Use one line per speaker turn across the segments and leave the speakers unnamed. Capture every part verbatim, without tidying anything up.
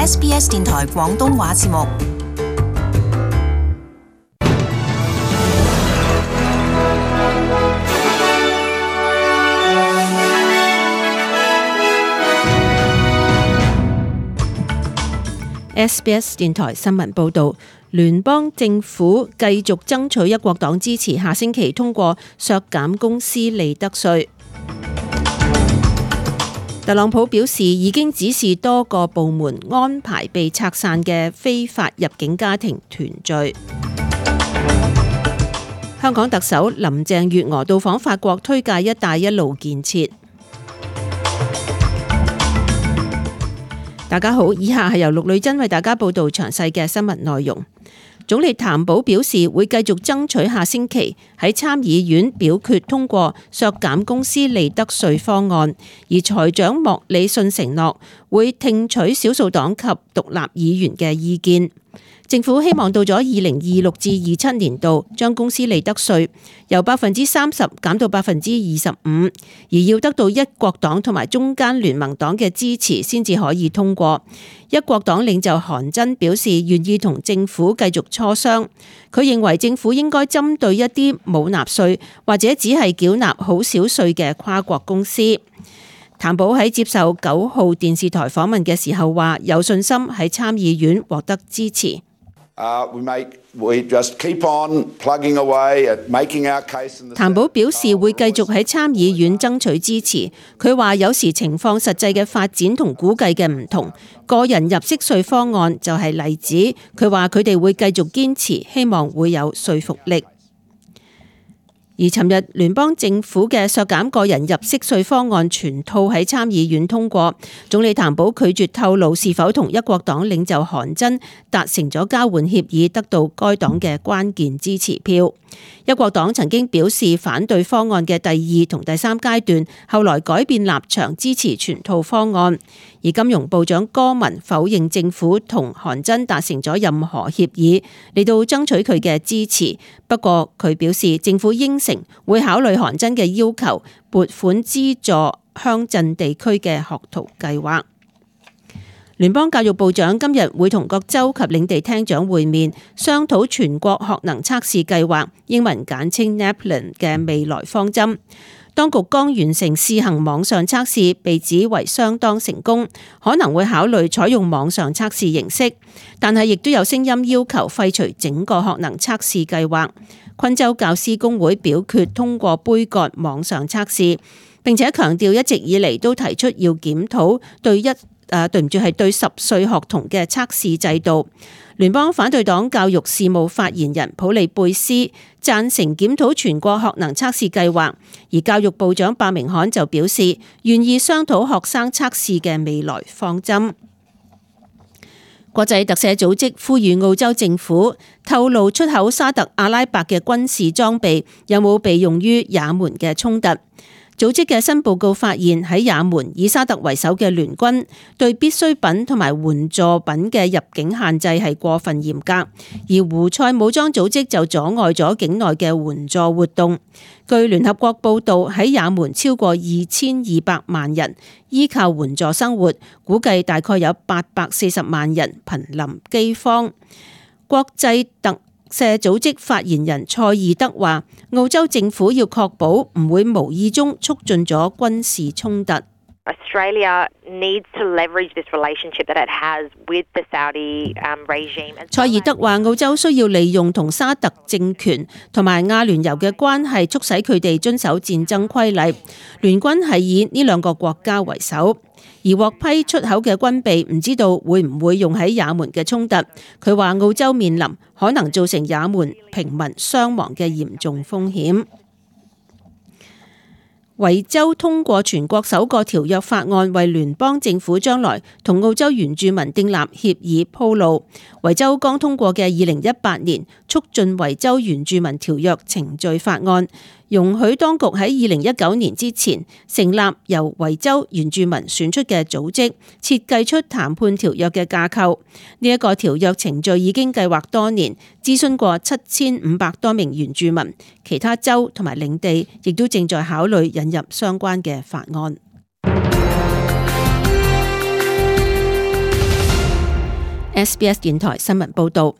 S B S 電台廣東話節目。
S B S 電台新聞報導，聯邦政府繼續爭取一國黨支持，下星期通過削減公司利得稅。特朗普表示已經指示多個部門安排被拆散嘅非法入境家庭團聚。香港特首林鄭月娥到訪法國，推介一帶一路建設。大家好，以下係由陸女珍為大家報道詳細嘅新聞內容。總理譚寶表示會繼續爭取下星期喺參議院表決通過削減公司利得稅方案，而財長莫里遜承諾會聽取少數黨及獨立議員嘅意見。政府希望到咗二零二六至二七年度，將公司利得稅由百分之三十減到百分之二十五，而要得到一國黨同埋中間聯盟黨嘅支持先至可以通過。一國黨領袖韓真表示願意同政府繼續磋商，佢認為政府應該針對一啲冇納稅或者只係繳納好少稅嘅跨國公司。譚寶喺接受九號電視台訪問嘅時候話，有信心喺參議院獲得支持。
Uh, we make, we just keep on plugging away at making our case in the...
譚寶表示會繼續喺參議院爭取支持。佢話有時情況實際嘅發展同估計嘅唔同，個人入息稅方案就係例子。佢話佢哋會繼續堅持，希望會有說服力。而尋日聯邦政府嘅削減個人入息稅方案全套喺參議院通過，總理譚寶拒絕透露是否同一國黨領袖韓真達成咗交換協議，得到該黨嘅關鍵支持票。一國黨曾經表示反對方案嘅第二同第三階段，後來改變立場支持全套方案。而金融部長柯文否認政府同韓真達成咗任何協議嚟到爭取佢嘅支持。不過佢表示政府應承會考慮韓真嘅要求，撥款資助鄉鎮地區嘅學徒計劃。聯邦教育部長今日會同各州及領地廳長會面，商討全國學能測試計劃，英文簡稱 NAPLAN 嘅未來方針。當局剛完成試行網上測試，被指為相當成功，可能會考慮採用網上測試形式，但係亦都有聲音要求廢除整個學能測試計劃。昆州教師工會表決通過杯葛網上測試，並且強調一直以嚟都提出要檢討對一誒對唔住係對十歲學童嘅測試制度。聯邦反對黨教育事務發言人普利貝斯贊成檢討全國學能測試計劃，而教育部長伯明翰就表示願意商討學生測試嘅未來方針。國際特赦組織呼籲澳洲政府透露出口沙特阿拉伯嘅軍事裝備有冇被用於也門嘅衝突。組織嘅新報告發現，喺也門以沙特為首嘅聯軍對必需品同埋援助品嘅入境限制係過分嚴格，而胡塞武裝組織就阻礙咗境內嘅援助活動。據聯合國報道，喺也門超過二千二百萬人依靠援助生活，估計大概有八百四十萬人瀕臨饑荒。國際特赦組織發言人蔡爾德話，澳洲政府要確保唔會無意中促進咗軍事衝突。
Australia needs to leverage this relationship that it has with the Saudi regime.
蔡爾德話，澳洲需要利用同沙特政權同埋阿聯酋嘅關係，促使佢哋遵守戰爭規例。聯軍係以呢兩個國家為首。而獲批出口嘅軍備唔知道會唔會用喺也門嘅衝突。佢話澳洲面臨可能造成也門平民傷亡嘅嚴重風險。維州通過全國首個條約法案，為聯邦政府將來同澳洲原住民訂立協議鋪路。維州剛通過嘅二零一八年促進維州原住民條約程序法案，容許當局喺二零一九年之前成立由維州原住民選出嘅組織，設計出談判條約嘅架構。呢一個條約程序已經計劃多年，諮詢過七千五百多名原住民，其他州同埋領地亦都正在考慮引入相關嘅法案。S B S 電台新聞報道。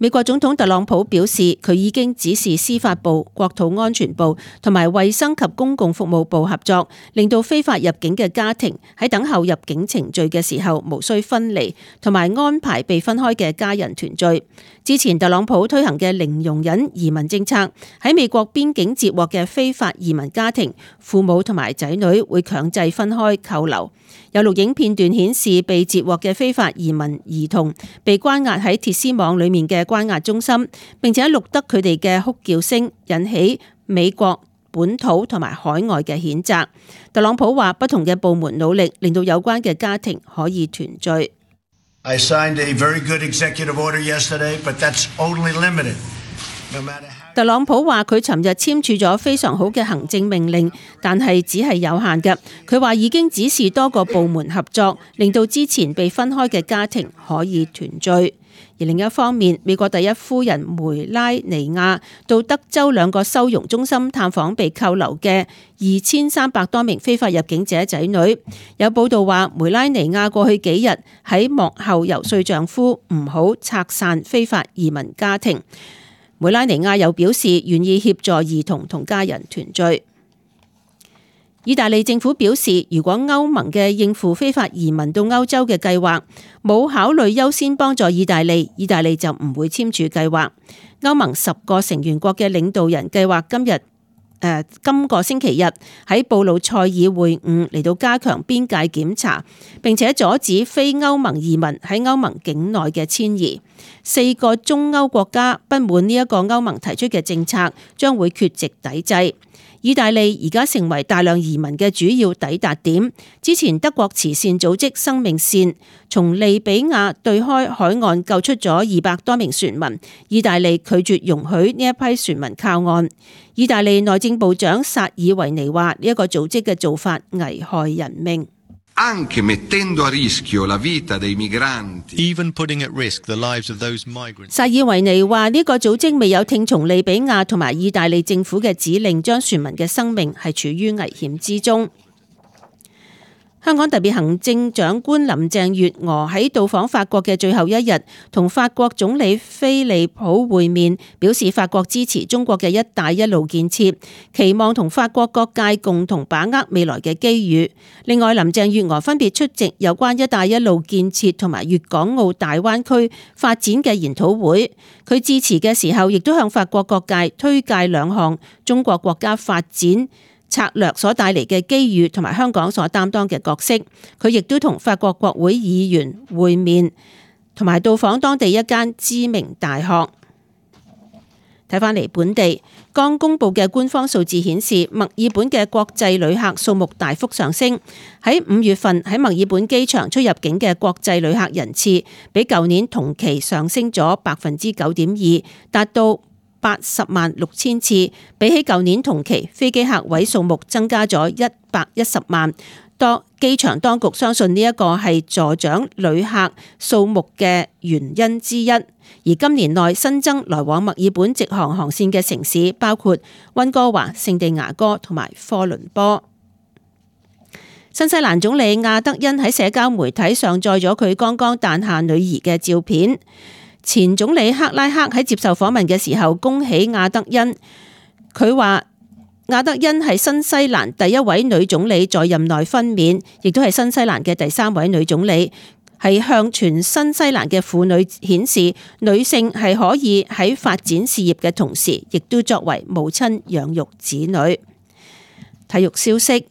美國總統特朗普表示，佢已經指示司法部、國土安全部同埋衛生及公共服務部合作，令到非法入境嘅家庭喺等候入境程序嘅時候無需分離，同埋安排被分開嘅家人團聚。之前特朗普推行嘅零容忍移民政策，喺美國邊境截獲嘅非法移民家庭，父母同埋仔女會強制分開扣留。有錄影片段顯示，被截獲嘅非法移民兒童被關押喺鐵絲網裡面嘅關押中心，並且錄得佢哋嘅哭叫聲，引起美國本土同埋海外嘅譴責。特朗普話，不同嘅部門努力令到有關嘅家庭可以團聚。
I signed a very good executive order yesterday, but that's only limited. No matter how
特朗普話佢尋日簽署咗非常好嘅行政命令，但係只係有限嘅。佢話已經指示多個部門合作，令到之前被分開嘅家庭可以團聚。而另一方面，美國第一夫人梅拉尼亞到德州兩個收容中心探訪被扣留嘅二千三百多名非法入境者仔女。有報道話，梅拉尼亞過去幾日喺幕後遊說丈夫唔好拆散非法移民家庭。梅拉尼亞又表示願意協助兒童同家人團聚。意大利政府表示，如果歐盟嘅應付非法移民到歐洲嘅計劃冇考慮優先幫助意大利，意大利就唔會簽署計劃。歐盟十個成員國嘅領導人計劃今日誒、呃、今個星期日喺布魯塞爾會晤，嚟到加強邊界檢查，並且阻止非歐盟移民喺歐盟境內嘅遷移。四個中歐國家不滿呢一個歐盟提出嘅政策，將會缺席抵制。意大利而家成為大量移民嘅主要抵達點。之前德國慈善組織生命線從利比亞對開海岸救出咗二百多名船民，意大利拒絕容許呢一批船民靠岸。意大利內政部長薩爾維尼話：呢一個組織嘅做法危害人命。
Anche mettendo a rischio la vita dei migranti.
Even putting at risk the lives of those migrants.
薩爾維尼話呢個組織未有聽從利比亞同埋意大利政府嘅指令，將船民嘅生命係處於危險之中。香港特別行政長官林鄭月娥喺到訪法國嘅最後一日，同法國總理菲利普會面，表示法國支持中國嘅一帶一路建設，期望同法國各界共同把握未來嘅機遇。另外，林鄭月娥分別出席有關一帶一路建設同埋粵港澳大灣區發展嘅研討會。佢致辭嘅時候，亦都向法國各界推介兩項中國國家發展策略所帶嚟嘅機遇同埋香港所擔當嘅角色。佢亦都同法國國會議員會面，同埋到訪當地一間知名大學。睇返嚟本地，剛公布嘅官方數字顯示，墨爾本嘅國際旅客數目大幅上升。喺五月份喺墨爾本機場出入境嘅國際旅客人次，比舊年同期上升咗百分之九點二，達到八十萬六千次，比起舊年同期飛機客位數目增加咗一百一十萬。多機場當局相信呢一個係助長旅客數目嘅原因之一。而今年內新增來往墨爾本直航航線嘅城市包括溫哥華、聖地牙哥同埋科倫坡。新西蘭總理亞德恩喺社交媒體上載咗佢剛剛誕下女兒嘅照片。前總理克拉克喺接受訪問嘅時候恭喜亞德恩，佢話亞德恩係新西蘭第一位女總理在任內分娩，亦都係新西蘭嘅第三位女總理，係向全新西蘭嘅婦女顯示女性係可以喺發展事業嘅同時，亦都作為母親養育子女。體育消息。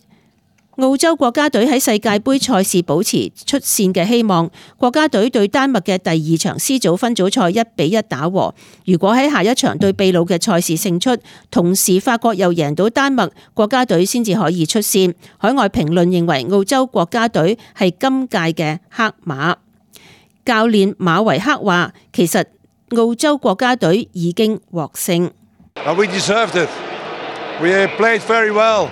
澳洲國家隊喺世界盃賽事保持出線嘅希望，國家隊對丹麥嘅第二場 C 組分組賽一比一打和。如果喺下一場對秘魯嘅賽事勝出，同時法國又贏到丹麥，國家隊先至可以出線。海外評論認為澳洲國家隊係今屆嘅黑馬。教練馬維克話：其實澳洲國家隊已經獲勝。
We deserved it. We played very well.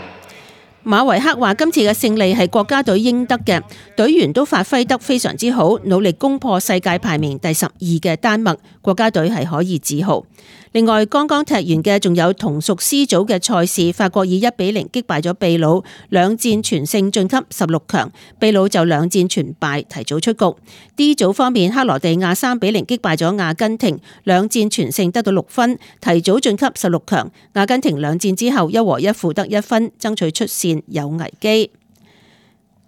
馬維克話：今次嘅勝利係國家隊應得嘅，隊員都發揮得非常之好，努力攻破世界排名第十二嘅丹麥，國家隊係可以自豪。另外，剛剛踢完嘅仲有同屬 C 組嘅賽事，法國以一比零擊敗咗秘魯，兩戰全勝晉級十六強。秘魯就兩戰全敗，提早出局。D 組方面，克羅地亞三比零擊敗咗阿根廷，兩戰全勝得到六分，提早晉級十六強。阿根廷兩戰之後一和一負得一分，爭取出線有危機。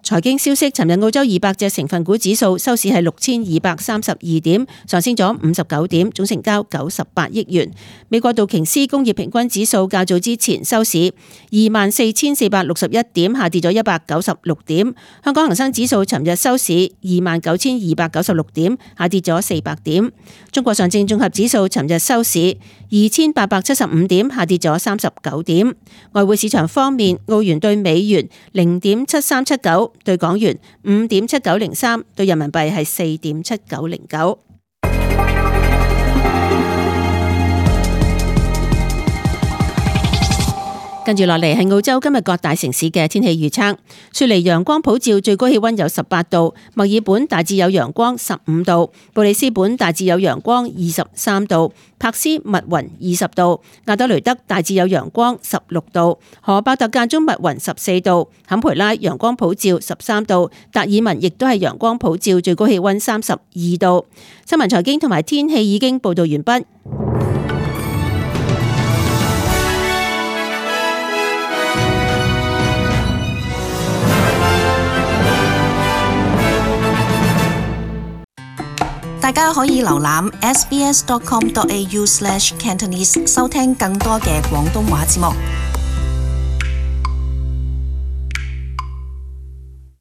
財經消息，尋日澳洲二百隻成分股指數收市係六千二百三十二點，上升咗五十九點，總成交九十八億元。美國道瓊斯工業平均指數較早之前收市二萬四千四百六十一點，下跌咗一百九十六點。香港恒生指數尋日收市二萬九千二百九十六點，下跌咗四百點。中國上證綜合指數尋日收市二千八百七十五點，下跌咗三十九點。外匯市場方面，澳元對美元零點七三七九，對港元五點七九零三，對人民幣係四點七九零九。跟住落嚟係澳洲今日各大城市嘅天氣預測。雪梨陽光普照，最高氣溫有十八度；墨爾本大致有陽光，十五度；布里斯本大致有陽光，二十三度；柏斯密雲二十度；亞德雷德大致有陽光，十六度；荷伯特間中密雲十四度；坎培拉陽光普照，十三度；達爾文亦都係陽光普照，最高氣溫三十二度。新聞財經同埋天氣已經報道完畢。
大家可以瀏覽 s b s dot com dot a u slash cantonese 收聽更多嘅廣東話節目。